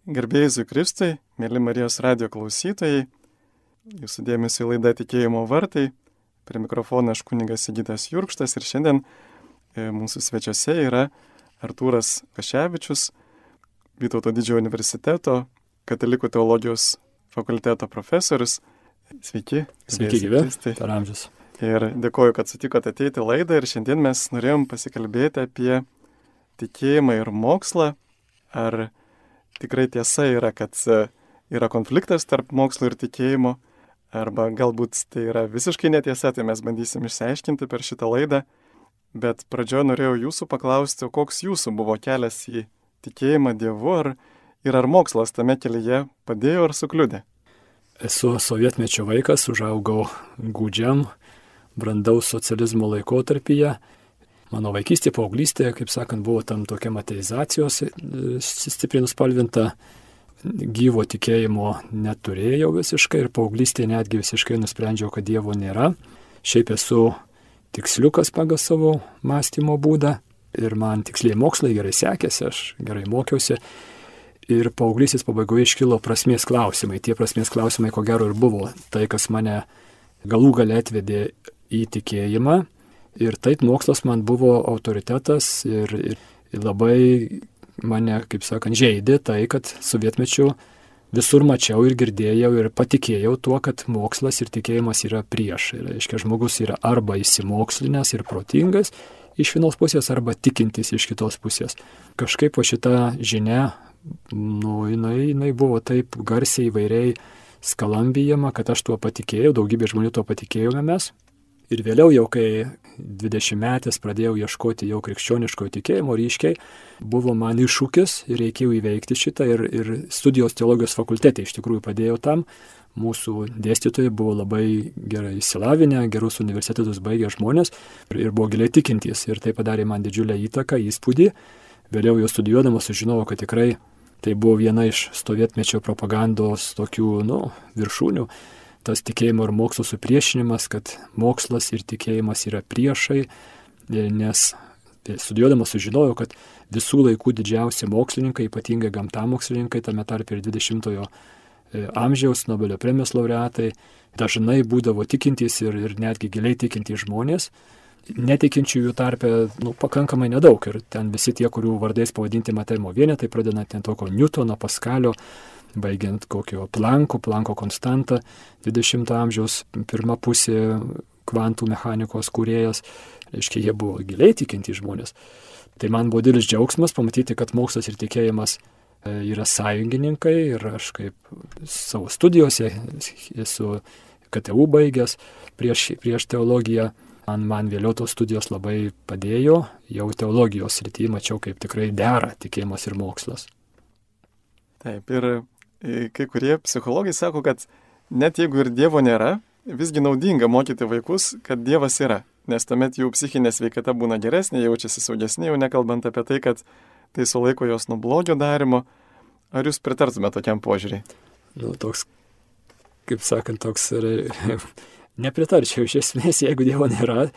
Garbėjai Jėzui Kristui, mėly Marijos radijo klausytojai, jūsų dėmesio į laidą Tikėjimo vartai. Prie mikrofono aš kunigas Sigitas Jurkštas ir šiandien mūsų svečiuose yra Artūras Kaševičius, Vytauto Didžiojo universiteto Katalikų teologijos fakulteto profesorius. Sveiki. Sveiki gyvi, per amžius. Ir dėkoju, kad sutikote ateiti į laidą ir šiandien mes norėjom pasikalbėti apie tikėjimą ir mokslą. Ar tikrai tiesa yra, kad yra konfliktas tarp mokslo ir tikėjimo, arba galbūt tai yra visiškai netiesa, tai mes bandysim išsiaiškinti per šitą laidą. Bet pradžioje norėjau jūsų paklausti, koks jūsų buvo kelias į tikėjimą Dievu, ar mokslas tame kelyje padėjo ar sukliudė? Esu sovietmečio vaikas, užaugau gūdžiam, brandaus socializmo laikotarpyje. Mano vaikystė, paauglystė, kaip sakant, buvo tam tokia ateizacijos stipriai nuspalvinta, gyvo tikėjimo neturėjau visiškai ir paauglystėje netgi visiškai nusprendžiau, kad Dievo nėra. Šiaip esu tiksliukas pagal savo mąstymo būdą ir man tiksliai mokslai gerai sekėsi, aš gerai mokiausi. Ir paauglystės pabaigoje iškilo prasmės klausimai. Tie prasmės klausimai, ko gero, ir buvo tai, kas mane galų gale atvedė į tikėjimą. Ir taip mokslas man buvo autoritetas ir labai mane, kaip sakant, žeidė tai, kad sovietmečiu visur mačiau ir girdėjau ir patikėjau tuo, kad mokslas ir tikėjimas yra prieš. Ir, reiškia, žmogus yra arba įsimokslinęs ir protingas iš vienos pusės, arba tikintis iš kitos pusės. Kažkaip po šitą žinią, jinai buvo taip garsiai įvairiai skalambijama, kad aš tuo patikėjau, daugybė žmonių tuo patikėjome mes. Ir vėliau jau, kai 20-metės pradėjau ieškoti jau krikščioniškojo tikėjimo ryškiai, buvo man iššūkis ir reikėjo įveikti šitą ir studijos teologijos fakultete iš tikrųjų padėjau tam. Mūsų dėstytojai buvo labai gerai išsilavinę, gerus universitetus baigę žmonės ir buvo giliai tikintys ir tai padarė man didžiulę įtaką, įspūdį. Vėliau jau studijuodamas sužinojau, kad tikrai tai buvo viena iš sovietmečio propagandos tokių, viršūnių. Tas tikėjimo ir mokslo supriešinimas, kad mokslas ir tikėjimas yra priešai, nes studijuodamas sužinojau, kad visų laikų didžiausi mokslininkai, ypatingai gamtamokslininkai, tame tarpe ir 20-ojo amžiaus Nobelio premijos laureatai, dažnai būdavo tikintys ir netgi giliai tikintys žmonės. Netikinčiųjų tarpe pakankamai nedaug ir ten visi tie, kurių vardais pavadinti matavimo vienetai, pradedant ten tokio Newtono, Paskalio, baigiant kokio Planko konstantą, 20 amžiaus pirma pusė kvantų mechanikos kūrėjas, reiškia, jie buvo giliai tikintys žmonės. Tai man buvo didelis džiaugsmas pamatyti, kad mokslas ir tikėjimas yra sąjungininkai ir aš kaip savo studijose esu KTU baigęs prieš teologiją. Man vėliau tos studijos labai padėjo, jau teologijos srityje mačiau, kaip tikrai dera tikėjimas ir mokslas. Taip, ir kai kurie psichologai sako, kad net jeigu ir Dievo nėra, visgi naudinga mokyti vaikus, kad Dievas yra, nes tuomet jų psichinė sveikata būna geresnė, jaučiasi saugesnė, jau nekalbant apie tai, kad tai sulaiko jos nuo blogio darimo. Ar jūs pritartume tokiam požiūriui? Toks, kaip sakant, toks nepritarčiau iš esmės, jeigu Dievo nėra,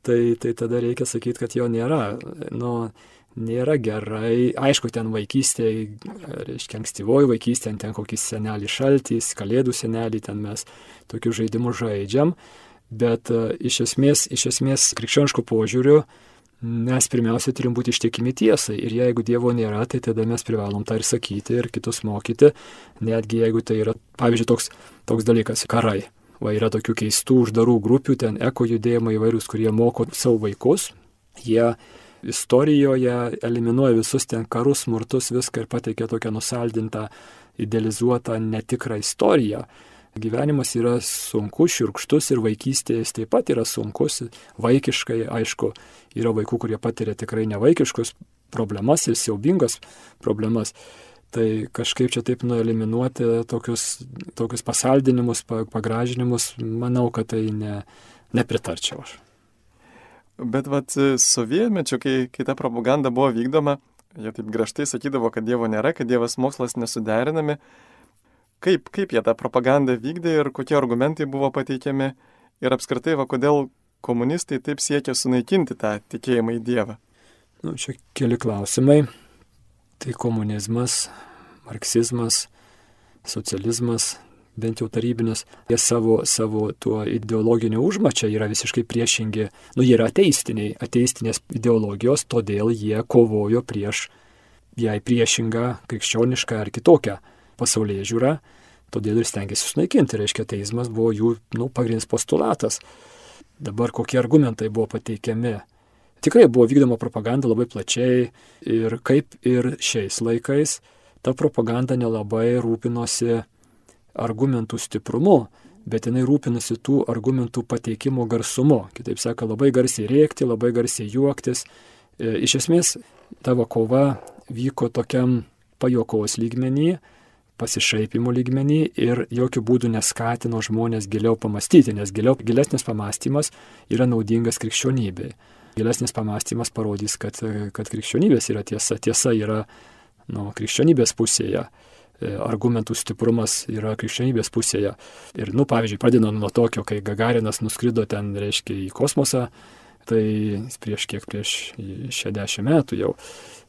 tai tada reikia sakyti, kad jo nėra. Nėra gerai. Aišku, ten vaikystėje, reiškia, ankstyvoji vaikystė, ten kokį senelį šaltys, kalėdų senelį, ten mes tokių žaidimų žaidžiam, bet iš esmės krikščioniškų požiūrių mes pirmiausia turim būti ištikimi tiesai ir jeigu Dievo nėra, tai tada mes privalom tą ir sakyti ir kitus mokyti, netgi jeigu tai yra, pavyzdžiui, toks dalykas - karai. Yra tokių keistų uždarų grupių, ten eko judėjimai įvairius, kurie moko savo vaikus, jie istorijoje eliminuoja visus ten karus, smurtus, viską ir pateikia tokią nusaldintą, idealizuotą, netikrą istoriją. Gyvenimas yra sunkus, šiurkštus ir vaikystės taip pat yra sunkus, vaikiškai, aišku, yra vaikų, kurie patiria tikrai nevaikiškus problemas ir siaubingas problemas. Tai kažkaip čia taip eliminuoti tokius pasaldinimus, pagražinimus, manau, kad tai nepritarčiau aš. Bet sovietmečiu, kai ta propaganda buvo vykdoma, jie taip griežtai sakydavo, kad Dievo nėra, kad Dievas mokslas nesuderinami. Kaip jie tą propagandą vykdė ir kokie argumentai buvo pateikiami ir apskritai, kodėl komunistai taip siekia sunaikinti tą tikėjimą į Dievą? Čia keli klausimai. Tai komunizmas marksizmas, socializmas, bent jau tarybinis, jie savo tuo ideologiniu užmačia yra visiškai priešingi, jie yra ateistinės ideologijos, todėl jie kovojo prieš jai priešingą, krikščionišką ar kitokią pasaulėžiūrą, todėl ir stengiasi sunaikinti, reiškia, ateizmas buvo jų pagrindinis postulatas. Dabar kokie argumentai buvo pateikiami. Tikrai buvo vykdoma propaganda labai plačiai ir kaip ir šiais laikais, ta propaganda nelabai rūpinosi argumentų stiprumu, bet jinai rūpinasi tų argumentų pateikimo garsumu. Kitaip sakant, labai garsiai rėkti, labai garsiai juoktis. Iš esmės, tavo kova vyko tokiam pajuokos lygmenį, pasišaipimo lygmenį ir jokių būdų neskatino žmonės giliau pamastyti, nes gilesnis pamastymas yra naudingas krikščionybei. Gilesnis pamastymas parodys, kad krikščionybės yra tiesa. Tiesa yra krikščionybės pusėje. Argumentų stiprumas yra krikščionybės pusėje. Ir, pavyzdžiui, pradedant nuo tokio, kai Gagarinas nuskrido ten, reiškia, į kosmosą, tai prieš 60 metų jau.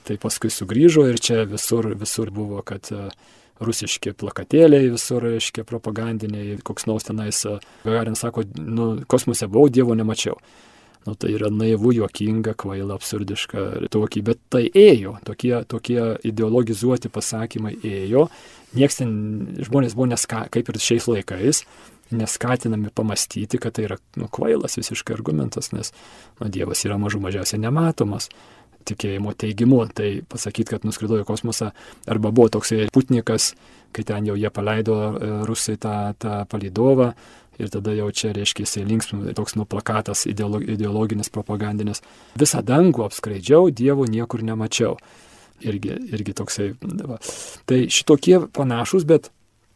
Tai paskui sugrįžo ir čia visur buvo, kad rusiški plakatėliai visur, reiškia, propagandiniai, koks nors tenais. Gagarinas sako, kosmose buvau, Dievo nemačiau. Tai yra naivu, juokinga, kvaila, absurdiška, bet tai ėjo, tokie ideologizuoti pasakymai ėjo, žmonės buvo kaip ir šiais laikais, neskatinami pamastyti, kad tai yra kvailas visiškai argumentas, nes Dievas yra mažiausiai nematomas tikėjimo teigimu, tai pasakyti, kad nuskrido į kosmosą, arba buvo toksai Putnikas, kai ten jau jie paleido rusai tą palydovą, ir tada jau čia, reiškia, jisai linksmų, toks plakatas ideologinis, propagandinis. Visą dangų apskraidžiau, Dievo niekur nemačiau. Irgi toksai. Tai šitokie panašus, bet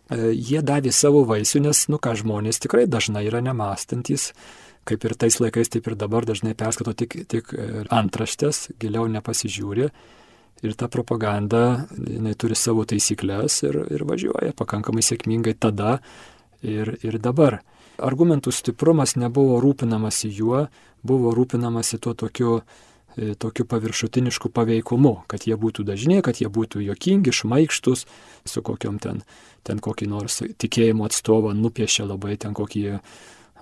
jie davė savo vaisių, nes, žmonės tikrai dažnai yra nemąstantis, kaip ir tais laikais, taip ir dabar dažnai perskato tik antraštės, giliau nepasižiūri. Ir ta propaganda, jinai turi savo taisyklės ir važiuoja pakankamai sėkmingai tada ir dabar. Argumentų stiprumas nebuvo rūpinamasi juo, buvo rūpinamasi tuo tokiu paviršutinišku paveikumu, kad jie būtų dažni, kad jie būtų juokingi, šmaikštus, su kokiom ten kokį nors tikėjimo atstovą nupiešė labai ten kokį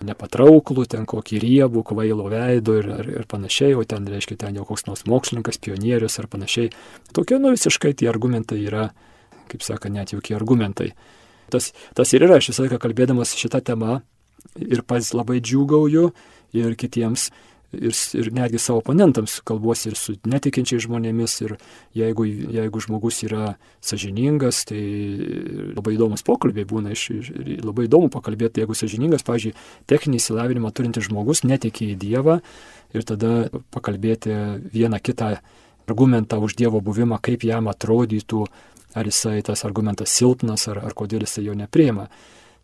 nepatrauklų, ten kokį riebų, kvailo veido ir panašiai, o ten, reiškia, ten jau koks nors mokslininkas, pionierius ar panašiai. Tokie, visiškai tie argumentai yra, kaip saka, net jokie argumentai. Tas ir yra, aš visą laiką kalbėdamas šitą temą ir pats labai džiūgauju ir kitiems, ir netgi savo oponentams kalbuosi ir su netikinčiais žmonėmis, ir jeigu žmogus yra sąžiningas, tai labai įdomus pokalbiai būna, labai įdomu pakalbėti, jeigu sąžiningas, pavyzdžiui, techninį išsilavinimą turintis žmogus netiki į Dievą ir tada pakalbėti vieną kitą argumentą už Dievo buvimą, kaip jam atrodytų, ar jisai tas argumentas silpnas, ar kodėl jisai jo nepriima.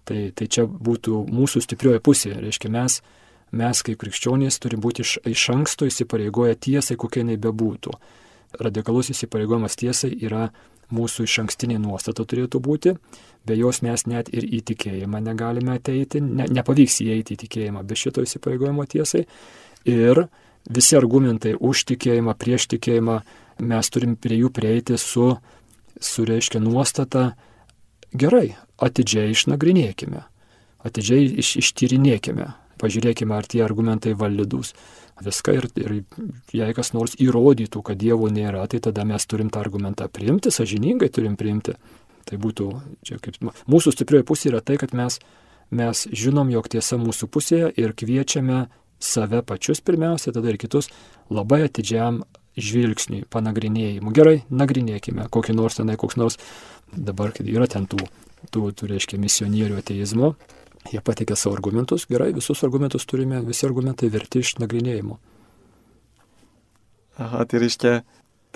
Tai čia būtų mūsų stiprioji pusė. Reiškia, mes kaip krikščionys turim būti iš anksto įsipareigoję tiesai, kokia jinai bebūtų. Radikalus įsipareigojimas tiesai yra mūsų iš ankstinė nuostata turėtų būti, be jos mes net ir į tikėjimą negalime ateiti, nepavyks įeiti į tikėjimą be šito įsipareigojimo tiesai. Ir visi argumentai už tikėjimą, prieš tikėjimą, mes turim prie jų prieiti su reiškia nuostata, gerai, atidžiai išnagrinėkime, atidžiai ištyrinėkime, pažiūrėkime, ar tie argumentai validus. Viską ir jei kas nors įrodytų, kad Dievo nėra, tai tada mes turim tą argumentą priimti, sąžiningai turim priimti. Tai būtų, čia kaip mūsų stiprioji pusė yra tai, kad mes žinom, jog tiesa mūsų pusėje ir kviečiame save pačius pirmiausia, tada ir kitus labai atidžiam žvilgsniui, panagrinėjimui. Gerai, nagrinėkime, koks nors, dabar yra ten tų reiškia, misionierių ateizmo, jie pateikia savo argumentus, gerai, visus argumentus turime, visi argumentai verti iš nagrinėjimo. Aha, tai reiškia,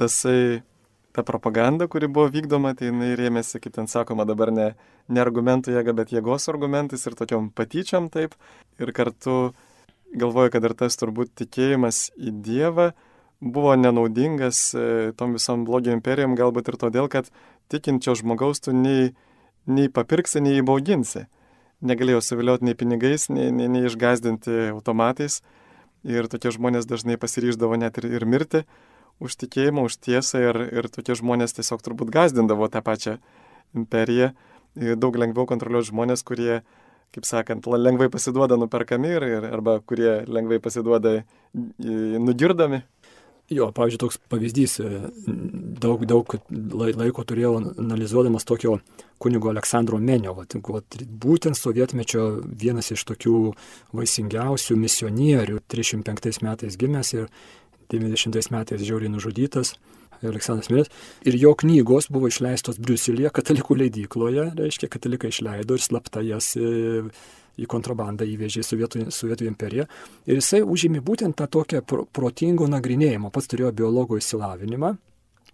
ta propaganda, kuri buvo vykdoma, tai jinai rėmėsi, kaip ten sakoma, dabar ne argumentų jėga, bet jėgos argumentais ir tokiom patyčiom taip. Ir kartu galvoju, kad ir tas turbūt tikėjimas į Dievą buvo nenaudingas tom visom blogio imperijom, galbūt ir todėl, kad tikinčio žmogaus tu nei papirksi, nei įbauginsi. Negalėjo suvilioti nei pinigais, nei išgazdinti automatais. Ir tokie žmonės dažnai pasiryždavo net ir mirti už tikėjimą, už tiesą ir tokie žmonės tiesiog turbūt gazdindavo tą pačią imperiją. Daug lengviau kontroliuoti žmonės, kurie, kaip sakant, lengvai pasiduoda nuperkami arba kurie lengvai pasiduoda nugirdomi. Jo, pavyzdžiui, toks pavyzdys, daug laiko turėjau analizuodamas tokio kunigo Aleksandro Menio, būtent sovietmečio vienas iš tokių vaisingiausių misionierių, 305 metais gimęs ir 90 metais žiauriai nužudytas, Aleksandras Menis. Ir jo knygos buvo išleistos Briuselyje katalikų leidykloje, reiškia, katalikai išleido ir slapta jas į kontrabandą įvežė Sovietų imperiją. Ir jisai užėmė būtent tą tokią protingo nagrinėjimą. Pats turėjo biologo išsilavinimą,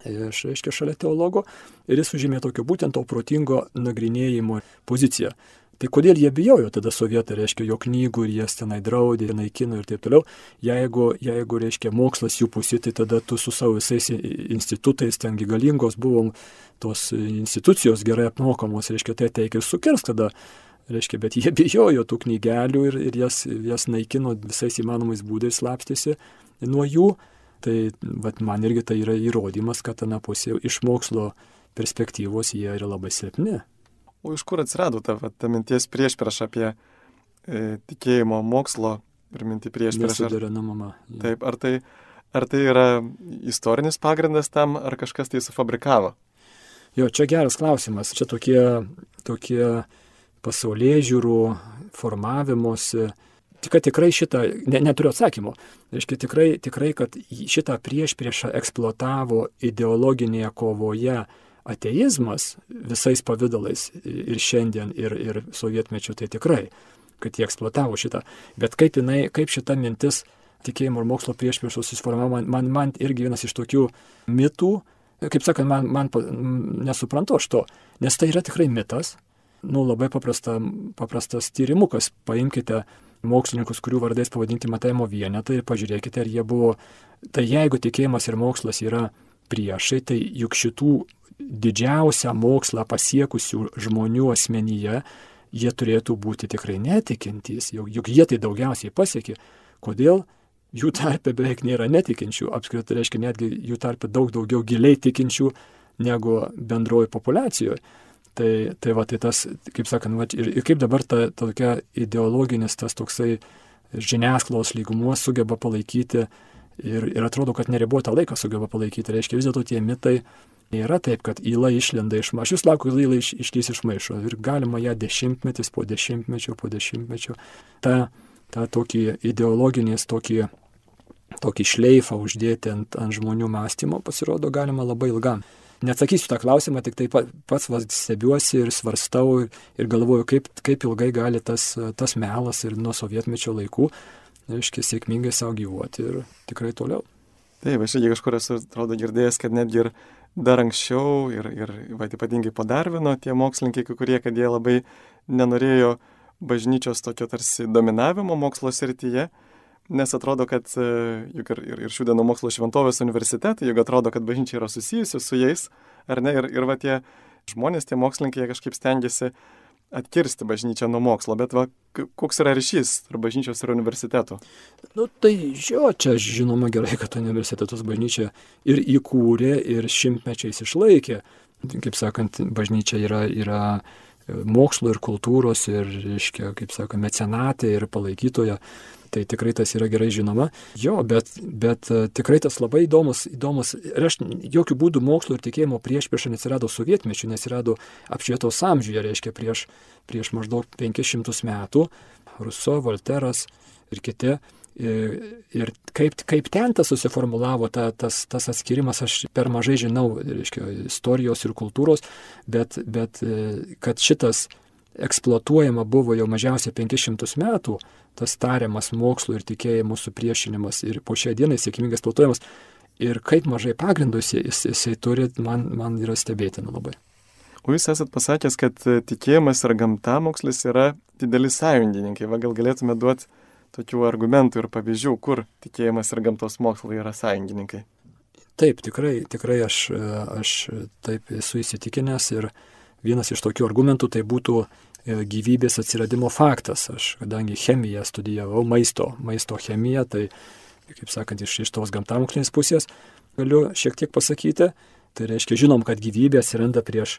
reiškia, šalia teologo, ir jis užėmė tokio būtent to protingo nagrinėjimo poziciją. Tai kodėl jie bijojo tada sovietai, reiškia, jo knygų ir jas tenai draudė, naikino ir taip toliau. Jeigu, reiškia, mokslas jų pusė, tai tada tu su savo visais institutais, tengi galingos buvom tos institucijos gerai apmokamos, reiškia, tai ateik ir sukirsk tada. Reiškia, bet jie bijojo tų knygelių ir jas naikino visais įmanomais būdais, slapstėsi nuo jų. Tai man irgi tai yra įrodymas, kad ana pusė iš mokslo perspektyvos jie yra labai silpni. O iš kur atsirado ta minties priešprieša apie tikėjimo mokslo ir mintį priešpriešą? Nesuderinamumą. Taip, ar tai yra istorinis pagrindas tam, ar kažkas tai sufabrikavo? Jo, čia geras klausimas. Čia tokie pasaulėžiūrų formavimuose. Tikrai šitą, neturiu atsakymo. Reiškia, tikrai, kad šitą priešpriešą eksploatavo ideologinėje kovoje ateizmas visais pavidalais ir šiandien, ir sovietmečiu, tai tikrai, kad jie eksploatavo šitą. Bet kaip šita mintis tikėjimo ir mokslo priešpriešos susiformavo, man irgi vienas iš tokių mitų, kaip sakant, man nesuprantu aš to, nes tai yra tikrai mitas. Labai paprastas tyrimukas. Paimkite mokslininkus, kurių vardais pavadinti matavimo vienetai ir pažiūrėkite, ar jie buvo. Tai jeigu tikėjimas ir mokslas yra priešai, tai juk šitų didžiausią mokslą pasiekusių žmonių asmenyje jie turėtų būti tikrai netikintys, juk jie tai daugiausiai pasiekė. Kodėl? Jų tarpe beveik nėra netikinčių, apskritai reiškia netgi jų tarpe daug daugiau giliai tikinčių negu bendroji populiacijoje. Tai tas, kaip sakant, ir kaip dabar ta tokia ideologinis, tas toksai žiniasklaidos lygumuo sugeba palaikyti ir atrodo, kad neribotą laiką sugeba palaikyti. Reiškia, vis dėlto tie mitai nėra taip, kad įla išlenda iš maišo. Aš vis laukiu, kad įla išlys iš maišo. Ir galima ją dešimtmetis po dešimtmečio. Ta tokį ideologinės, tokį šleifą uždėti ant žmonių mąstymo pasirodo galima labai ilgam. Neatsakysiu tą klausimą, tik tai pats stebiuosi ir svarstau ir galvoju, kaip ilgai gali tas melas ir nuo sovietmečio laikų, reiškia, sėkmingai savo gyvuoti ir tikrai toliau. Taip, aš irgi kažkur esu, atrodo, girdėjęs, kad netgi ir dar anksčiau ir ypatingai po Darvino tie mokslininkai, kurie, kad jie labai nenorėjo bažnyčios tokio tarsi dominavimo mokslo srityje, nes atrodo, kad juk ir šių dienų mokslo šventovės universitetai, juk atrodo, kad bažnyčia yra susijusi su jais, ar ne, ir tie žmonės, tie mokslininkai, jie kažkaip stengiasi atkirsti bažnyčią nuo mokslo, bet koks yra ryšys tarp bažnyčios ir universitetų? Tai čia žinoma gerai, kad universitetus bažnyčia ir įkūrė, ir šimtmečiais išlaikė. Kaip sakant, bažnyčia yra mokslo ir kultūros ir, reiškia, kaip sakant, mecenatė ir palaikytoja. Tai tikrai tas yra gerai žinoma. Jo, bet tikrai tas labai įdomus. Ir aš jokių būdų mokslo ir tikėjimo priešpriešą neatsirado sovietmečiu, neatsirado apšvietos amžiuje, reiškia prieš maždaug 500 metų. Ruso, Volteras ir kiti. Ir kaip ten tas susiformulavo, tas atskirimas, aš per mažai žinau, reiškia, istorijos ir kultūros, bet kad šitas eksploatuojama buvo jau mažiausiai 500 metų, tas tariamas mokslo ir tikėjimo supriešinimas ir po šią dieną sėkmingai eksploatuojamas. Ir kaip mažai pagrindų jisai turi, man yra stebėtina labai. O jūs esat pasakęs, kad tikėjimas ir gamtamokslis yra dideli sąjungininkai. Gal galėtume duoti tokių argumentų ir pavyzdžių, kur tikėjimas ir gamtos mokslai yra sąjungininkai? Taip, tikrai aš taip esu įsitikinęs ir vienas iš tokių argumentų tai būtų gyvybės atsiradimo faktas. Aš, kadangi chemiją studijavau, maisto chemiją, tai, kaip sakant, iš tos gamtamokslinės pusės, galiu šiek tiek pasakyti. Tai reiškia, žinom, kad gyvybė atsiranda prieš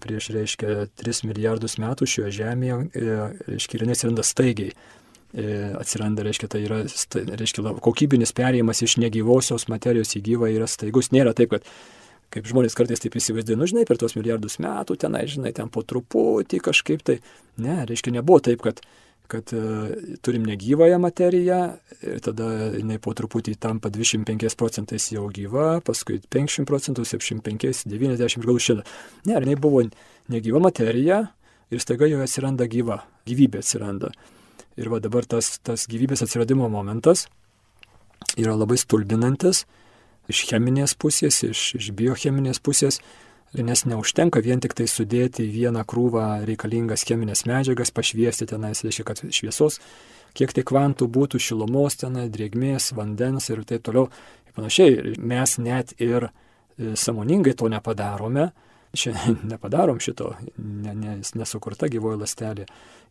reiškia, 3 milijardus metų šioje žemėje, reiškia, ir jinai atsiranda staigiai. Atsiranda, reiškia, tai yra, reiškia, kokybinis perėjimas iš negyvosios materijos į gyvą yra staigus. Nėra taip, kad kaip žmonės kartais taip įsivaizduoja, žinai, per tuos milijardus metų tenai, žinai, ten po truputį kažkaip tai. Ne, reiškia, nebuvo taip, kad turim negyvąją materiją ir tada jinai po truputį tampa 25% jau gyva, paskui 50%, 75%, 90%, gal 100%. Ne, jinai buvo negyva materija ir staiga joje atsiranda gyvybė atsiranda. Ir va dabar tas gyvybės atsiradimo momentas yra labai stulbinantis iš cheminės pusės, iš biocheminės pusės, nes neužtenka vien tik tai sudėti į vieną krūvą reikalingas cheminės medžiagas, pašviesti tenais, reiškia, kad šviesos, kiek tai kvantų būtų, šilumos tenai, drėgmės, vandens ir taip toliau. Ir panašiai, mes net ir sąmoningai to nepadarome, nepadarom šito, nesukurta gyvoji ląstelė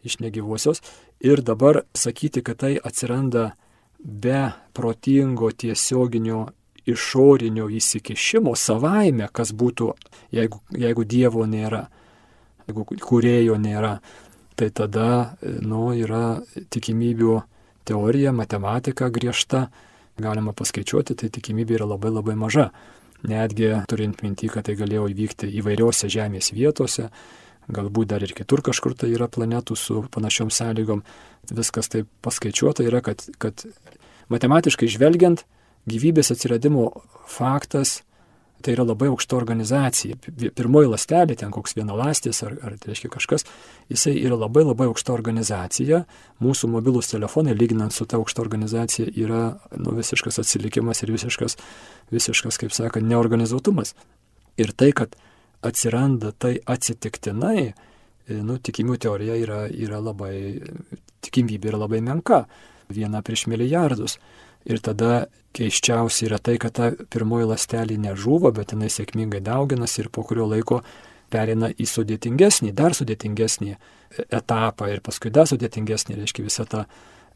iš negyvosios. Ir dabar sakyti, kad tai atsiranda be protingo tiesioginio išorinio įsikišimo savaime, kas būtų, jeigu Dievo nėra, jeigu kūrėjo nėra, tai tada yra tikimybių teorija, matematika griežta, galima paskaičiuoti, tai tikimybė yra labai labai maža. Netgi turint minty, kad tai galėjo įvykti įvairiose žemės vietose, galbūt dar ir kitur kažkur tai yra planetų su panašiom sąlygom, viskas taip paskaičiuota yra, kad matematiškai žvelgiant, gyvybės atsiradimo faktas tai yra labai aukšta organizacija. Pirmoji ląstelė, ten koks vienaląstis ar tai reiškia kažkas, jisai yra labai labai aukšta organizacija. Mūsų mobilūs telefonai, lyginant su ta aukšta organizacija, yra visiškas atsilikimas ir visiškas, kaip sakant, neorganizuotumas. Ir tai, kad atsiranda tai atsitiktinai, tikimybių teorija yra labai, tikimybė yra labai menka, 1 prieš milijardus. Ir tada keiščiausia yra tai, kad ta pirmoji ląstelė nežūva, bet jinai sėkmingai dauginasi ir po kurio laiko pereina į sudėtingesnį, dar sudėtingesnį etapą ir paskui dar sudėtingesnį, reiškia visą tą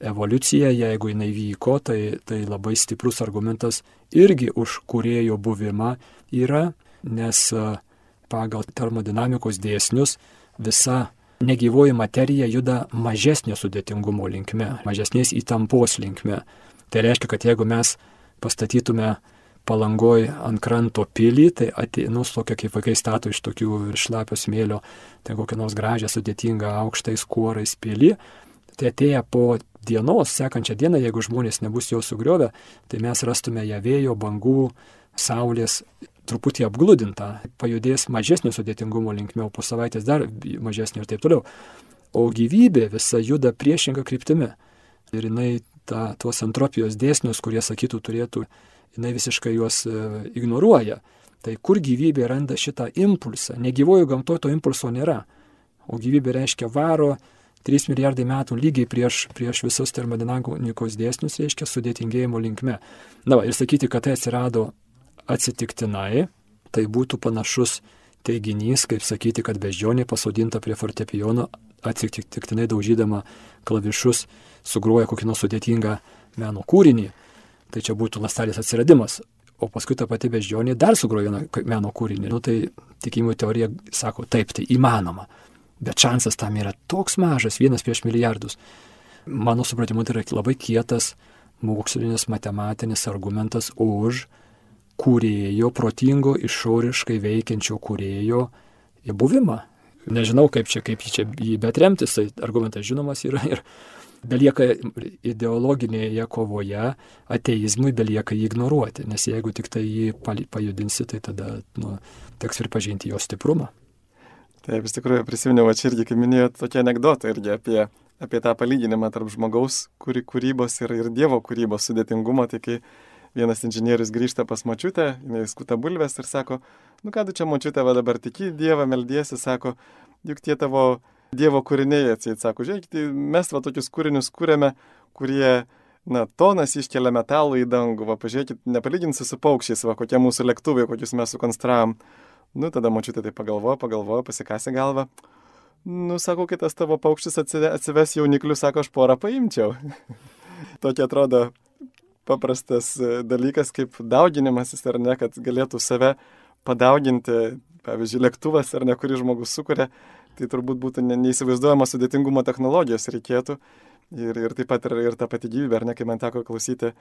evoliuciją, jeigu jinai vyko, tai labai stiprus argumentas irgi už kūrėjo buvimą yra, nes pagal termodinamikos dėsnius visa negyvoji materija juda mažesnio sudėtingumo linkme, mažesnės įtampos linkme. Tai reiškia, kad jeigu mes pastatytume Palangoj ant kranto pilį, tai tokia kaip vaikai stato iš tokių šlapio smėlio, tai kokią nors gražią, sudėtingą, aukštais kuorais pilį, tai atėję po dienos, sekančią dieną, jeigu žmonės nebus jo sugriovę, tai mes rastume ją vėjo, bangų, saulės truputį apgludintą, pajudės mažesnio sudėtingumo linkme, o po savaitės dar mažesnio ir taip toliau. O gyvybė visa juda priešinga kryptimi. Ir jinai tuos entropijos dėsnius, kurie sakytų turėtų, jinai visiškai juos ignoruoja. Tai kur gyvybė randa šitą impulsą? Negyvojų gamtoje to impulso nėra. O gyvybė reiškia varo 3 milijardai metų lygiai prieš visus termodinamikos dėsnius, reiškia sudėtingėjimo linkme. Ir sakyti, kad tai atsirado atsitiktinai, tai būtų panašus teiginys, kaip sakyti, kad beždžionė pasodinta prie fortepijono, atsitiktinai daužydama klavišus, sugruoja kokį nors sudėtingą meno kūrinį. Tai čia būtų ląstelės atsiradimas. O paskui ta pati beždžionė dar sugruoja meno kūrinį. Tai tikimybių teorija sako, taip, tai įmanoma. Bet šansas tam yra toks mažas, 1 prieš milijardus. Mano supratimu, tai yra labai kietas mokslinis matematinis argumentas už kūrėjo, protingo, išoriškai veikiančio kūrėjo buvimą. Nežinau, kaip jį betremtis, tai argumentas žinomas yra ir belieka ideologinėje kovoje, ateizmui belieka jį ignoruoti, nes jeigu tik tai jį pajudinsi, tai tada teks pripažinti jo stiprumą. Taip, iš tikrųjų prisiminiau, čia irgi, kaip minėjot, tokia anekdota irgi apie tą palyginimą tarp žmogaus kūrybos ir Dievo kūrybos sudėtingumą, tai kai vienas inžinierius grįžta pas močiutę, jinai skuta bulves ir sako, ką tu čia močiutė, va dabar tiki Dievą, meldiesi, sako, juk tie tavo Dievo kūriniai, atseit, sako, žiūrėkite, mes va tokius kūrinius kūrėme, kurie, tonas iškelia metalų į dangų, va pažiūrėkit, nepalyginsi su paukščiais, va kokie mūsų lėktuvai, kokius mes sukonstravom. Tada močiutė tai pagalvojo, pasikasė galvą. Sako, kitas tavo paukštis atsives jauniklius, sako, aš porą paimčiau. Tokia atrodo paprastas dalykas kaip dauginimasis, ar ne, kad galėtų save padauginti, pavyzdžiui, lėktuvas, ar ne, kurį žmogus sukuria, tai turbūt būtų neįsivaizduojama sudėtingumo technologijos reikėtų. Ir taip pat ir ta pati gyvybė, ar ne, kai man teko klausyti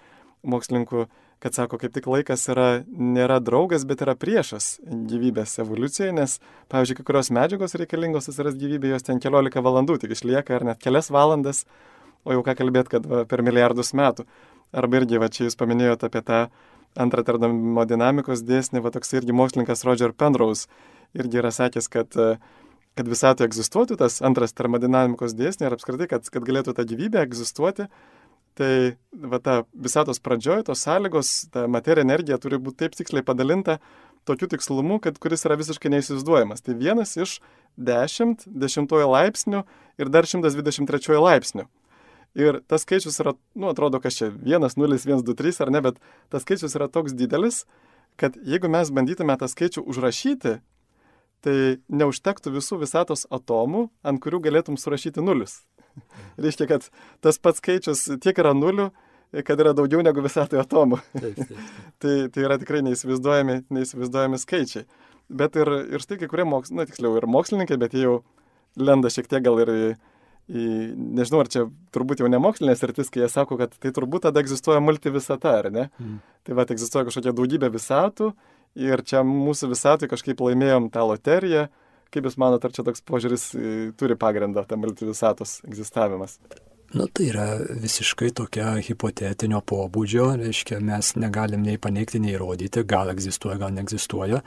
mokslininkų, kad sako, kaip tik laikas nėra draugas, bet yra priešas gyvybės evoliucijai, nes, pavyzdžiui, kai kurios medžiagos reikalingos atsiras gyvybė, jos ten 14 valandų tik išlieka, ar net kelias valandas, o jau ką kalbėt, kad per milijardus metų. Arba irgi, čia jūs paminėjote apie tą antrą termodinamikos dėsnį, toks irgi mokslininkas Roger Penrose irgi yra sakęs, kad visatoje egzistuotų tas antras termodinamikos dėsnį ir apskritai, kad galėtų ta gyvybė egzistuoti, tai ta visatos pradžioje tos sąlygos, ta materija energija turi būti taip tiksliai padalinta tokiu tikslumu, kuris yra visiškai neįsivaizduojamas. Tai 1 iš 10 laipsnių ir dar 123 laipsnių. Ir tas skaičius yra, atrodo, kas čia 1, 0, 1, 2, 3 ar ne, bet tas skaičius yra toks didelis, kad jeigu mes bandytume tą skaičių užrašyti, tai neužtektų visų visatos atomų, ant kurių galėtum surašyti nulius. Reiškia, kad tas pats skaičius tiek yra nulių, kad yra daugiau negu visatoje atomų. Tai yra tikrai neįsivaizduojami skaičiai. Bet ir štai kai kurie mokslininkai, bet jie jau lenda šiek tiek gal ir nežinau, ar čia turbūt jau ne mokslinės sritis, kai jie sako, kad tai turbūt tada egzistuoja multivisata, ar ne? Tai egzistuoja kažkokia daugybė visatų ir čia mūsų visatui kažkaip laimėjom tą loteriją. Kaip jūs manote, ar čia toks požiūris turi pagrindą, ta multivisatos egzistavimas? Tai yra visiškai tokia hipotetinio pobūdžio, reiškia, mes negalim nei paneigti, nei įrodyti, gal egzistuoja, gal neegzistuoja.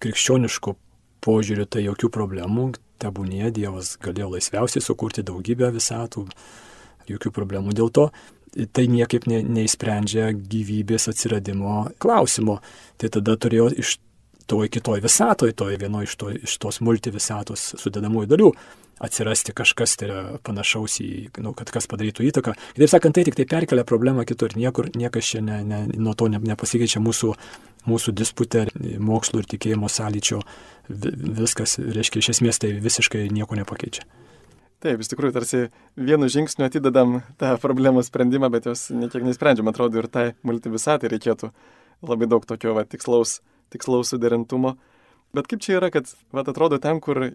Krikščioniškų požiūrių tai jokių problemų, tebūnie Dievas galėjo laisviausiai sukurti daugybę visatų, jokių problemų dėl to. Tai niekaip neįsprendžia gyvybės atsiradimo klausimo. Tai tada turėjo iš toj kitoj visatoj, vieno iš tos multivisatos sudedamųjų dalių atsirasti kažkas tai panašaus į, kad kas padarytų įtaką. Kitaip sakant, tai tik tai perkelia problemą kitur. Niekas čia nuo to nepasikeičia mūsų disputė, mokslo ir tikėjimo sąlyčio. Viskas, reiškia, iš esmės tai visiškai nieko nepakeičia. Taip, iš tikrųjų, tarsi vienu žingsniu atidedam tą problemų sprendimą, bet jos niekiek neįsprendžiam. Atrodo, ir tai multivisatai reikėtų labai daug tokio tikslaus suderintumo. Bet kaip čia yra, kad atrodo ten, kur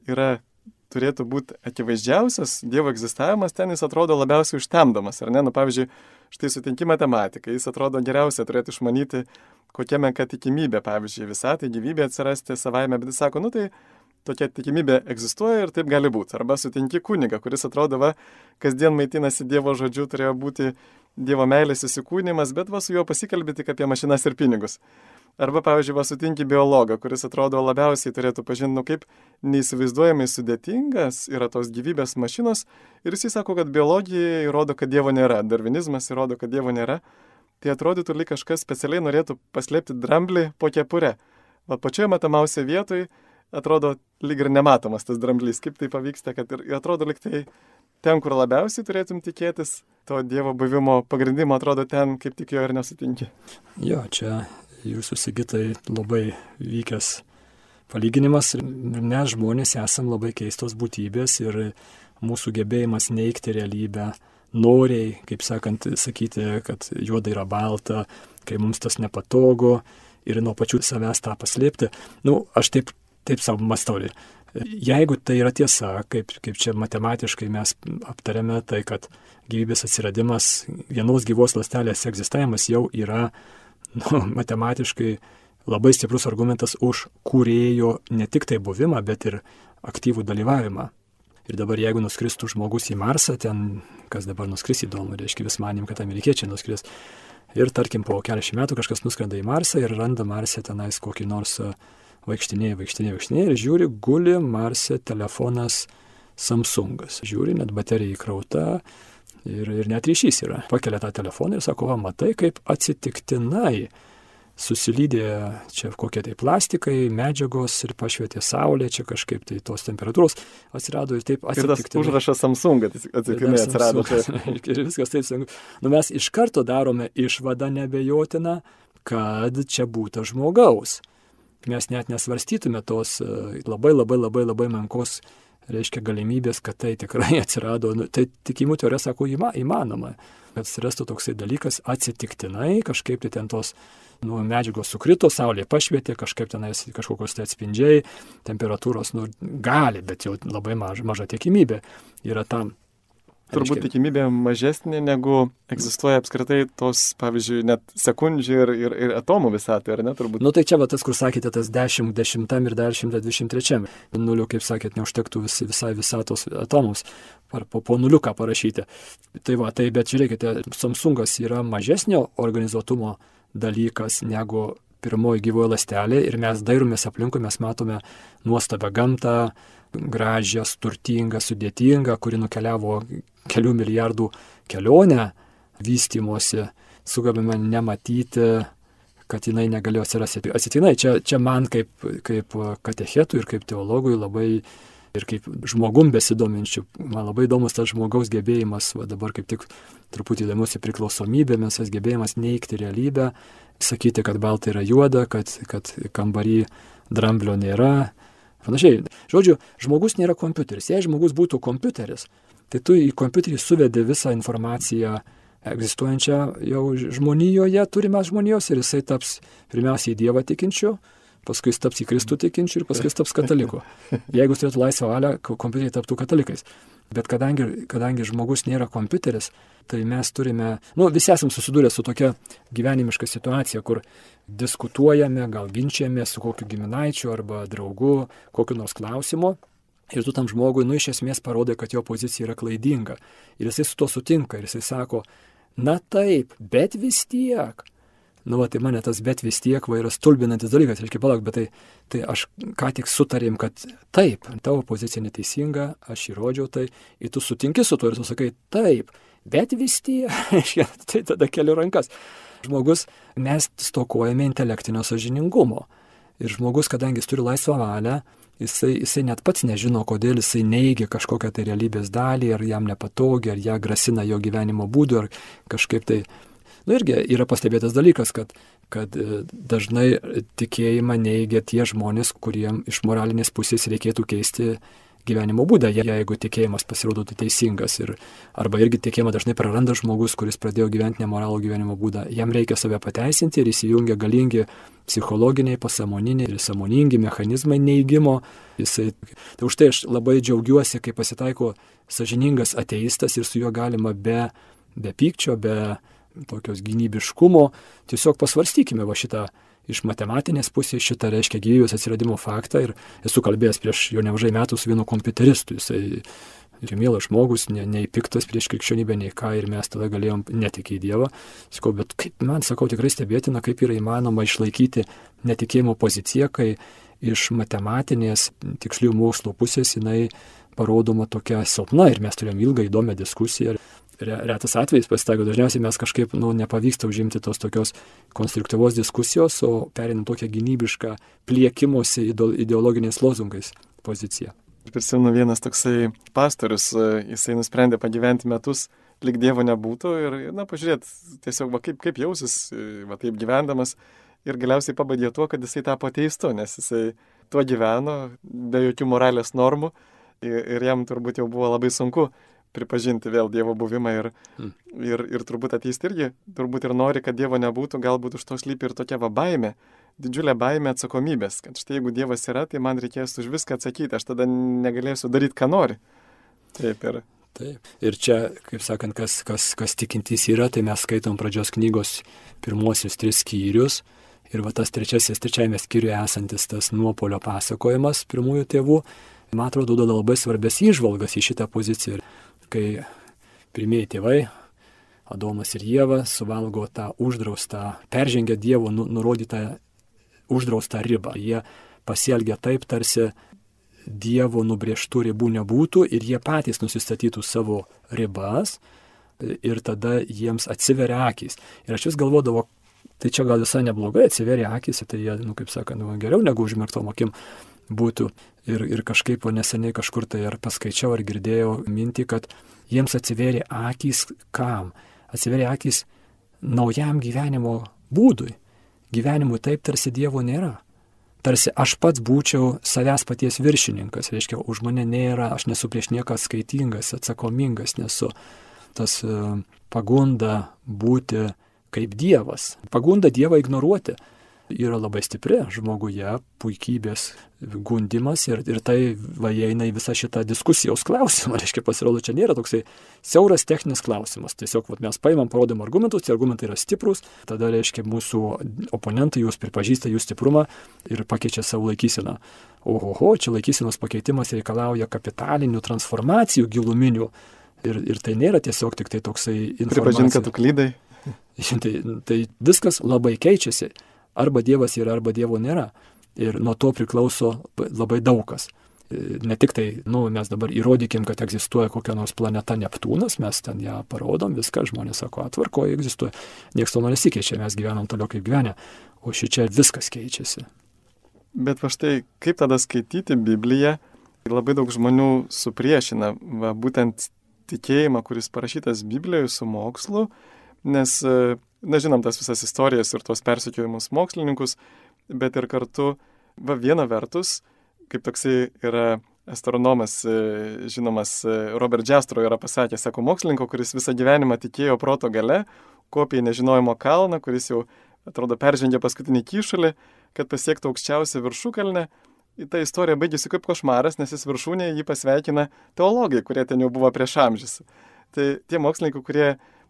turėtų būti akivaizdžiausias Dievo egzistavimas, ten jis atrodo labiausiai užtemdamas, ar ne? Pavyzdžiui, štai sutinki matematiką, jis atrodo geriausia turėtų išmanyti, kokia menka tikimybė, pavyzdžiui, visatai gyvybė atsirasti savaime, bet jis sako, tai tokia tikimybė egzistuoja ir taip gali būti. Arba sutinki kunigą, kuris atrodo, kasdien maitinasi Dievo žodžiu, turėjo būti Dievo meilės įsikūnimas, bet su juo pasikalbė tik apie mašinas ir pinigus. Arba, pavyzdžiui, sutinki biologą, kuris atrodo labiausiai turėtų pažinti, kaip neįsivaizduojamai sudėtingas yra tos gyvybės mašinos. Ir jis sako, kad biologija įrodo, kad Dievo nėra, darvinizmas įrodo, kad Dievo nėra. Tai atrodytų, lyg kažkas specialiai norėtų paslėpti dramblį po kepurę. Pačioje matomiausioje vietoje atrodo lyg ir nematomas tas dramblys. Kaip tai pavyksta, kad ir atrodo lyg tai ten, kur labiausiai turėtum tikėtis, to Dievo buvimo pagrindimo atrodo ten, kaip tik jo ir nesutinki. Jo, čia jūsų Sigitai labai vykęs palyginimas. Mes žmonės esam labai keistos būtybės ir mūsų gebėjimas neigti realybę, noriai, kaip sakant, sakyti, kad juoda yra balta, kai mums tas nepatogu ir nuo pačių savęs tą paslėpti. Aš taip savo mąstau. Jeigu tai yra tiesa, kaip čia matematiškai mes aptarėme, tai kad gyvybės atsiradimas, vienos gyvos ląstelės egzistavimas jau yra matematiškai labai stiprus argumentas už kūrėjo ne tik tai buvimą, bet ir aktyvų dalyvavimą. Ir dabar jeigu nuskristų žmogus į Marsą, ten, kas dabar nuskris įdomu, reiškia vis manim, kad amerikiečiai nuskris. Ir tarkim po keliasdešimt metų kažkas nuskrenda į Marsą ir randa Marse tenais kokį nors vaikštinėja ir žiūri, guli Marse telefonas Samsungas. Žiūri, net baterija įkrauta. Ir net ryšys yra. Pakelia tą telefoną ir sako, matai, kaip atsitiktinai susilydė čia kokie tai plastikai, medžiagos ir pašvietė saulė, čia kažkaip tai tos temperatūros atsirado ir taip atsitiktinai. Ir tas užrašas Samsung atsitiktinai atsirado. Ir viskas taip. Mes iš karto darome išvadą nebejotiną, kad čia būta žmogaus. Mes net nesvarstytume tos labai menkos reiškia galimybės, kad tai tikrai atsirado. Tai tikėjimo teorija sako įmanoma, kad atsirastų toksai dalykas atsitiktinai, kažkaip tai ten tos medžiagos sukrito, saulė pašvietė, kažkaip tenais kažkokios tai atspindžiai, temperatūros gali, bet jau labai maža tikimybė yra tam. Turbūt tikimybė mažesnė, negu egzistuoja apskritai tos, pavyzdžiui, net sekundžių ir atomų visatė, ar ne? Turbūt. Tai čia tas, kur sakėte, tas 10 ir dar 123. Nuliu, kaip sakėt, neužtektų visai visatos atomams po nuliuką parašyti. Tai bet žiūrėkite, Samsungas yra mažesnio organizuotumo dalykas negu pirmoji gyvoji ląstelė ir mes dairomės aplinkui, mes matome nuostabią gamtą, gražią, turtingą, sudėtingą, kuri nukeliavo kelių milijardų kelionę vystymosi, sugebame nematyti, kad jinai negalėjo atsirasti atsitiktinai. Čia man kaip katechetui ir kaip teologui labai ir kaip žmogum besidominčių, man labai įdomus tas žmogaus gebėjimas, dabar kaip tik truputį įdomiusi priklausomybėmis, tas gebėjimas neigti realybę, sakyti, kad balta yra juoda, kad kambarį dramblio nėra. Panašiai. Žodžiu, žmogus nėra kompiuteris. Jei žmogus būtų kompiuteris, tai tu į kompiuterį suvedė visą informaciją egzistuojančią jau žmonijoje, turime žmonijos ir jisai taps pirmiausiai į Dievą tikinčiu, paskui jis taps į Kristų tikinčiu ir paskui jis taps kataliku. Jeigu jis turėtų laisvą valią, kompiuteriai taptų katalikais. Bet kadangi žmogus nėra kompiuteris, tai mes turime, visi esam susidūrę su tokia gyvenimiška situacija, kur diskutuojame, gal ginčiame su kokiu giminaičiu arba draugu, kokiu nors klausimu. Ir tu tam žmogui, iš esmės parodai, kad jo pozicija yra klaidinga. Ir jisai su to sutinka ir jisai sako, na taip, bet vis tiek. Tai mane tas bet vis tiek yra stulbinantis dalykas. Reiškia, palauk, bet tai aš ką tik sutarėm, kad taip, tavo pozicija neteisinga, aš įrodžiau tai, ir tu sutinki su to ir tu sakai, taip, bet vis tiek, tai tada keliu rankas. Žmogus, mes stokojame intelektinio sąžiningumo. Ir žmogus, kadangi jis turi laisvą valią, jisai net pats nežino, kodėl jisai neigia kažkokią tai realybės dalį, ar jam nepatogi, ar ją grasina jo gyvenimo būdu, ar kažkaip tai. Irgi yra pastebėtas dalykas, kad dažnai tikėjimą neigia tie žmonės, kuriem iš moralinės pusės reikėtų keisti gyvenimo būdą, jeigu tikėjimas pasirodo teisingas. Arba irgi tikėjimą dažnai praranda žmogus, kuris pradėjo gyventi nemoralų gyvenimo būdą. Jam reikia save pateisinti ir įsijungia galingi psichologiniai, pasąmoniniai ir sąmoningi mechanizmai neigimo. Tai už tai aš labai džiaugiuosi, kai pasitaiko sąžiningas ateistas ir su juo galima be pykčio, be tokios gynybiškumo, tiesiog pasvarstykime šitą iš matematinės pusės, šitą reiškia gyvybės atsiradimo faktą ir esu kalbėjęs prieš jau nemažai metų su vienu kompiuteristu, jisai ir mielas žmogus, nei piktas prieš krikščionybę, nei ką, ir mes tada galėjom netikėti Dievą. Sakau, bet kaip man, tikrai stebėtina, kaip yra įmanoma išlaikyti netikėjimo poziciją, kai iš matematinės tikslių mokslo pusės jinai parodoma tokia silpna ir mes turėjom ilgą įdomią diskusiją. Retas atvejais pasitaiko, dažniausiai mes kažkaip nepavyksta užimti tos tokios konstruktyvos diskusijos, o perinam tokią gynybišką pliekimosi ideologiniais lozungais poziciją. Prisimenu, vienas toksai pastorius, jisai nusprendė pagyventi metus, lyg Dievo nebūtų ir, pažiūrėti tiesiog, kaip jausis, taip gyvendamas, ir galiausiai pabaigė tuo, kad jisai tapo ateistu, nes jisai tuo gyveno, be jokių moralės normų, ir jam turbūt jau buvo labai sunku pripažinti vėl Dievo buvimą ir turbūt ateisti irgi, turbūt ir nori, kad Dievo nebūtų, galbūt už to slypi ir tokia baimė, didžiulė baimė atsakomybės, kad štai jeigu Dievas yra, tai man reikės už viską atsakyti, aš tada negalėsiu daryti, ką nori. Taip. Ir čia, kaip sakant, kas tikintys yra, tai mes skaitom pradžios knygos pirmosius 3 skyrius ir tas trečiajame skyriuje esantis tas nuopolio pasakojimas pirmųjų tėvų, man atrodo, duoda labai svarbės įžvalgas į šitą poziciją. Kai pirmieji tėvai, Adomas ir Ieva, suvalgo tą uždraustą, peržengia Dievo nurodytą uždraustą ribą. Jie pasielgia taip, tarsi Dievo nubrėžtų ribų nebūtų ir jie patys nusistatytų savo ribas ir tada jiems atsiveria akys. Ir aš vis galvodavau, tai čia gal visai neblogai, atsiveria akys, tai jie, kaip sakant, geriau negu užmerktom akim būtų. Ir kažkaip neseniai kažkur tai ar paskaičiau, ar girdėjau mintį, kad jiems atsivėrė akys kam? Atsivėrė akys naujam gyvenimo būdui. Gyvenimui taip, tarsi Dievo nėra. tarsi aš pats būčiau savęs paties viršininkas, reiškia, už mane nėra, aš nesu prieš nieką skaitingas, atsakomingas, nesu. Tas pagunda būti kaip Dievas, pagunda Dievą ignoruoti yra labai stipri žmoguje, puikybės gundimas ir tai įeina į visą šitą diskusijos klausimą. Reiškia, pasirodo, čia nėra toksai siauras techninis klausimas. Tiesiog mes paimam, parodom argumentus, tie argumentai yra stiprus, tada, reiškia, mūsų oponentai jūs pripažįsta jų stiprumą ir pakeičia savo laikyseną. Ohoho, čia laikysenos pakeitimas reikalauja kapitalinių transformacijų giluminių ir tai nėra tiesiog tik tai toksai informacija. Pripažink, kad tu klydai. Tai viskas labai keičiasi. Arba Dievas yra, arba Dievo nėra. Ir nuo to priklauso labai daug kas. Ne tik tai, mes dabar įrodykim, kad egzistuoja kokia nors planeta Neptūnas, mes ten ją parodom, viską, žmonės sako, atvarkoje egzistuoja. Niekas to nesikeičia, mes gyvenam toliau kaip gyvenę, o šičia viskas keičiasi. Bet va štai, kaip tada skaityti Bibliją, labai daug žmonių supriešina būtent tikėjimą, kuris parašytas Biblijoje su mokslu, nes žinom tas visas istorijas ir tuos persekiojimus mokslininkus, bet ir kartu, viena vertus, kaip toksai yra astronomas, žinomas Robert Jastrow yra pasakęs, sako, mokslininko, kuris visą gyvenimą tikėjo proto gale, kopė į nežinojimo kalną, kuris jau, atrodo, peržengė paskutinį kyšulį, kad pasiektų aukščiausią viršukalnę. Ta istorija baigėsi kaip košmaras, nes jis viršūnėje jį pasveikina teologai, kurie ten jau buvo prieš amžius. Tai tie mokslininkai, kurie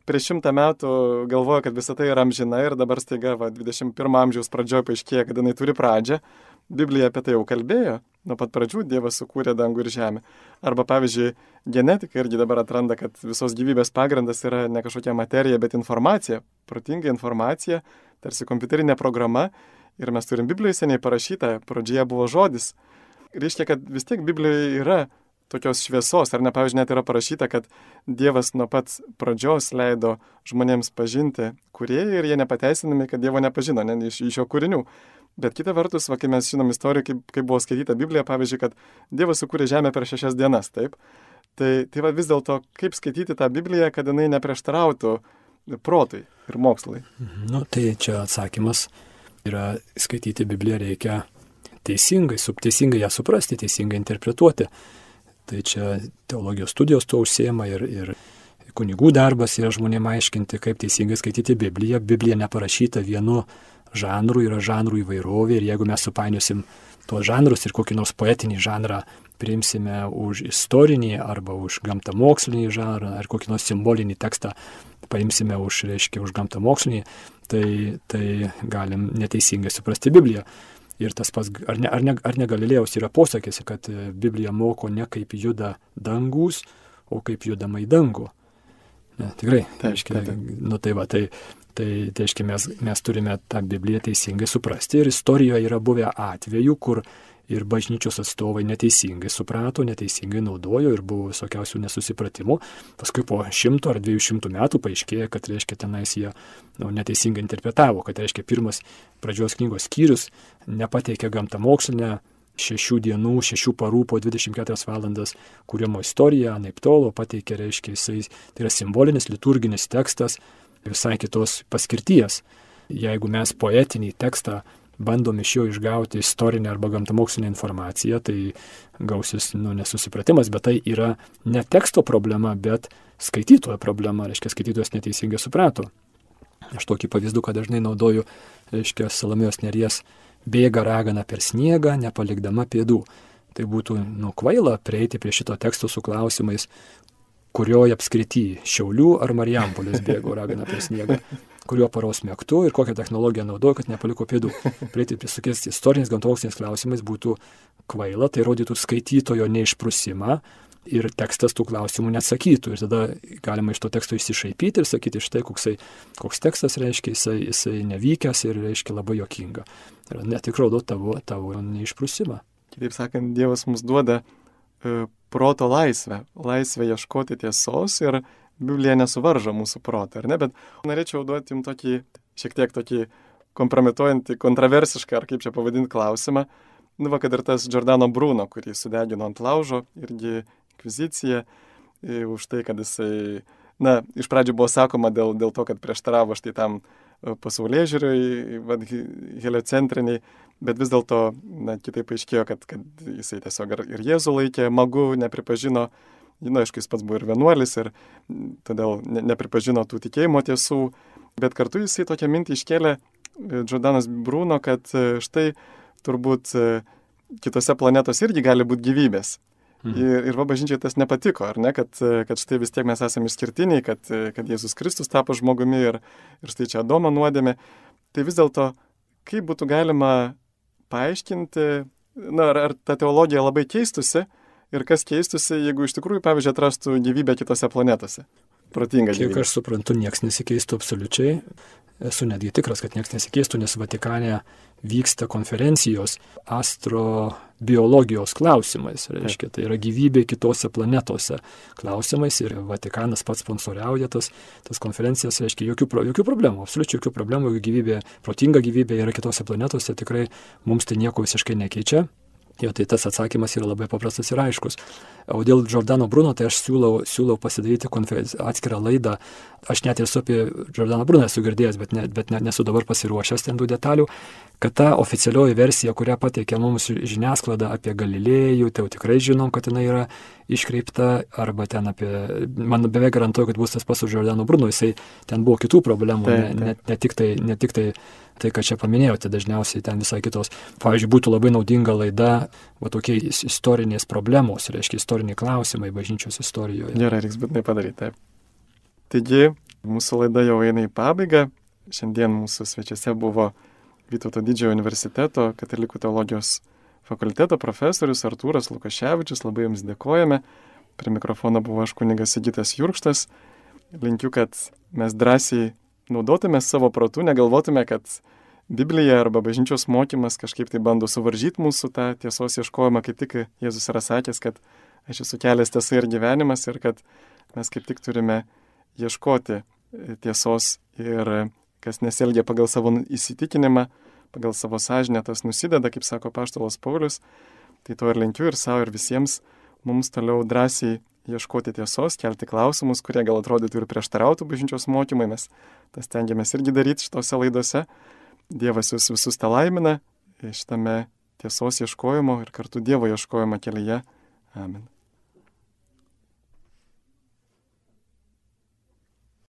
prieš 100 metų galvoja, kad visa tai yra amžina ir dabar staiga 21 amžiaus pradžioje paaiškėja, kad jinai turi pradžią. Biblija apie tai jau kalbėjo, nuo pat pradžių Dievas sukūrė dangų ir žemę. Arba, pavyzdžiui, genetika irgi dabar atranda, kad visos gyvybės pagrindas yra ne kažkokia materija, bet informacija, protinga informacija, tarsi kompiuterinė programa. Ir mes turim Biblijoje seniai parašytą, pradžioje buvo žodis. Reiškia, kad vis tiek Biblijoje yra tokios šviesos, ar ne, pavyzdžiui, net yra parašyta, kad Dievas nuo pat pradžios leido žmonėms pažinti kūrėją ir jie nepateisinami, kad Dievo nepažino, ne, iš jo kūrinių. Bet kita vertus, kai mes žinom istoriją, kaip buvo skaityta Biblija, pavyzdžiui, kad Dievas sukūrė žemę per 6 dienas, taip? Tai vis dėlto, kaip skaityti tą Bibliją, kad jinai neprieštarautų protui ir mokslai? Tai čia atsakymas yra, skaityti Bibliją reikia teisingai ją suprasti, teisingai interpretuoti. Tai čia teologijos studijos tuo užsiema ir kunigų darbas yra žmonėms aiškinti, kaip teisingai skaityti Bibliją. Biblija neparašyta vienu žanru, yra žanrų įvairovė ir jeigu mes supainiosim tuos žanrus ir kokį nors poetinį žanrą priimsime už istorinį arba už gamtamokslinį žanrą ar kokį nors simbolinį tekstą paimsime už gamtamokslinį, tai galim neteisingai suprasti Bibliją. Ir tas pats, ar ne Galilėjaus yra posakis, kad Biblija moko ne kaip juda dangus, o kaip judama į dangų. Ne, tikrai, tai mes turime tą Bibliją teisingai suprasti. Ir istorijoje yra buvę atvejų, kur ir bažnyčios atstovai neteisingai suprato, neteisingai naudojo ir buvo visokiausių nesusipratimų. Paskui po 100 ar 200 metų paaiškėjo, kad tenais jie neteisingai interpretavo, kad pirmas pradžios knygos skyrius nepateikė gamtamokslinę 6 dienų, 6 parų po 24 valandas kūrimo istoriją, anaiptol, pateikė, tai yra simbolinis, liturginis tekstas visai kitos paskirties. Jeigu mes poetinį tekstą bandom iš jo išgauti istorinę arba gamtamokslinę informaciją, tai gausis nesusipratimas, bet tai yra ne teksto problema, bet skaitytojo problema, skaitytojas neteisingai suprato. Aš tokį pavyzdį, kad dažnai naudoju, Salomėjos Nėries bėga ragana per sniegą, nepalikdama pėdų. Tai būtų kvaila prieiti prie šito teksto su klausimais, kurioje apskrity Šiaulių ar Marijampolės bėgo ragana per sniegą, kurio paros metu ir kokią technologiją naudojo, kad nepaliko pėdų. Prieiti prie tokiais istoriniais gamtamoksliniais klausimais būtų kvaila, tai rodytų skaitytojo neišprusimą ir tekstas tų klausimų neatsakytų. Ir tada galima iš to teksto išsišaipyti ir sakyti, štai koks tekstas reiškia, jisai nevykęs ir reiškia labai juokinga. Ir net tik rodo tavo neišprusimą. Kitaip sakant, Dievas mums duoda proto laisvę ieškoti tiesos ir Biblija nesuvaržo mūsų protą, ar ne? Bet norėčiau duoti jums šiek tiek tokį kompromituojantį, kontroversišką, ar kaip čia pavadinti klausimą. Kad ir tas Giordano Bruno, kurį sudegino ant laužo, irgi inkvizicija, už tai, kad jisai, iš pradžių buvo sakoma dėl to, kad prieštaravo štai tam pasaulėžiūriui, heliocentriniai, bet vis dėlto, kitaip aiškėjo, kad jisai tiesiog ir Jėzų laikė magu, nepripažino, aišku, jis pats buvo ir vienuolis ir todėl nepripažino tų tikėjimo tiesų, bet kartu jisai tokią mintį iškėlė, Giordanas Bruno, kad štai turbūt kitose planetose irgi gali būti gyvybės. Ir va bažnyčiai tas nepatiko, ar ne, kad štai vis tiek mes esame išskirtiniai, kad Jėzus Kristus tapo žmogumi ir štai čia Adomo nuodėmė. Tai vis dėlto, kaip būtų galima paaiškinti, ar ta teologija labai keistusi ir kas keistusi, jeigu iš tikrųjų, pavyzdžiui, atrastų gyvybę kitose planetose. Protinga gyvybė. Kiek aš suprantu, nieks nesikeistų absoliučiai. Esu netgi tikras, kad nieks nesikeistų, nes Vatikane vyksta konferencijos astrobiologijos klausimais. Reiškia, tai yra gyvybė kitose planetose klausimais ir Vatikanas pats sponsoriauja tas konferencijas. Reiškia, jokių problemų, absoliučiai jokių problemų, jeigu gyvybė, protinga gyvybė yra kitose planetose, tikrai mums tai nieko visiškai nekeičia. Jo, tai tas atsakymas yra labai paprastas ir aiškus. O dėl Giordano Bruno, tai aš siūlau pasidaryti atskirą laidą. Aš net ir su apie Giordano Bruno esu girdėjęs, bet nesu dabar pasiruošęs ten tų detalių, kad ta oficialioji versija, kurią pateikė mums žiniasklaida apie Galilėjų, tai jau tikrai žinom, kad jinai yra iškreipta, arba ten man beveik garantuoju, kad bus tas pats su Giordano Bruno, jisai ten buvo kitų problemų, ne tik tai, ką čia paminėjote, dažniausiai ten visai kitos. Pavyzdžiui, būtų labai naudinga laida, tokie istorinės problemos, reiškia istoriniai klausimai bažnyčios istorijoje. Gerai, reiks būtinai padaryti, taip. Taigi, mūsų laida jau eina į pabaigą. Šiandien mūsų svečiuose buvo Vytauto Didžiojo universiteto katalikų teologijos fakulteto profesorius Artūras Lukaševičius. Labai jums dėkojame. Prie mikrofono buvo aš kunigas Sigitas Jurkštas. Linkiu, kad mes drąsiai naudotume savo protu, negalvotume, kad Biblija arba bažnyčios mokymas kažkaip tai bando suvaržyti mūsų tą tiesos ieškojimą, kaip tik Jėzus yra sakęs, kad aš esu kelias, tiesa ir gyvenimas ir kad mes kaip tik turime ieškoti tiesos ir kas nesielgia pagal savo įsitikinimą, pagal savo sąžinę, tas nusideda, kaip sako apaštalas Paulius. Tai to ir linkiu ir savo, ir visiems mums toliau drąsiai ieškoti tiesos, kelti klausimus, kurie gal atrodytų ir prieštarautų bažnyčios mokymai. Mes tas stengiamės irgi daryti šitose laidose. Dievas jūs visus te laimina šitame tiesos ieškojimo ir kartu Dievo ieškojimo kelyje. Amen.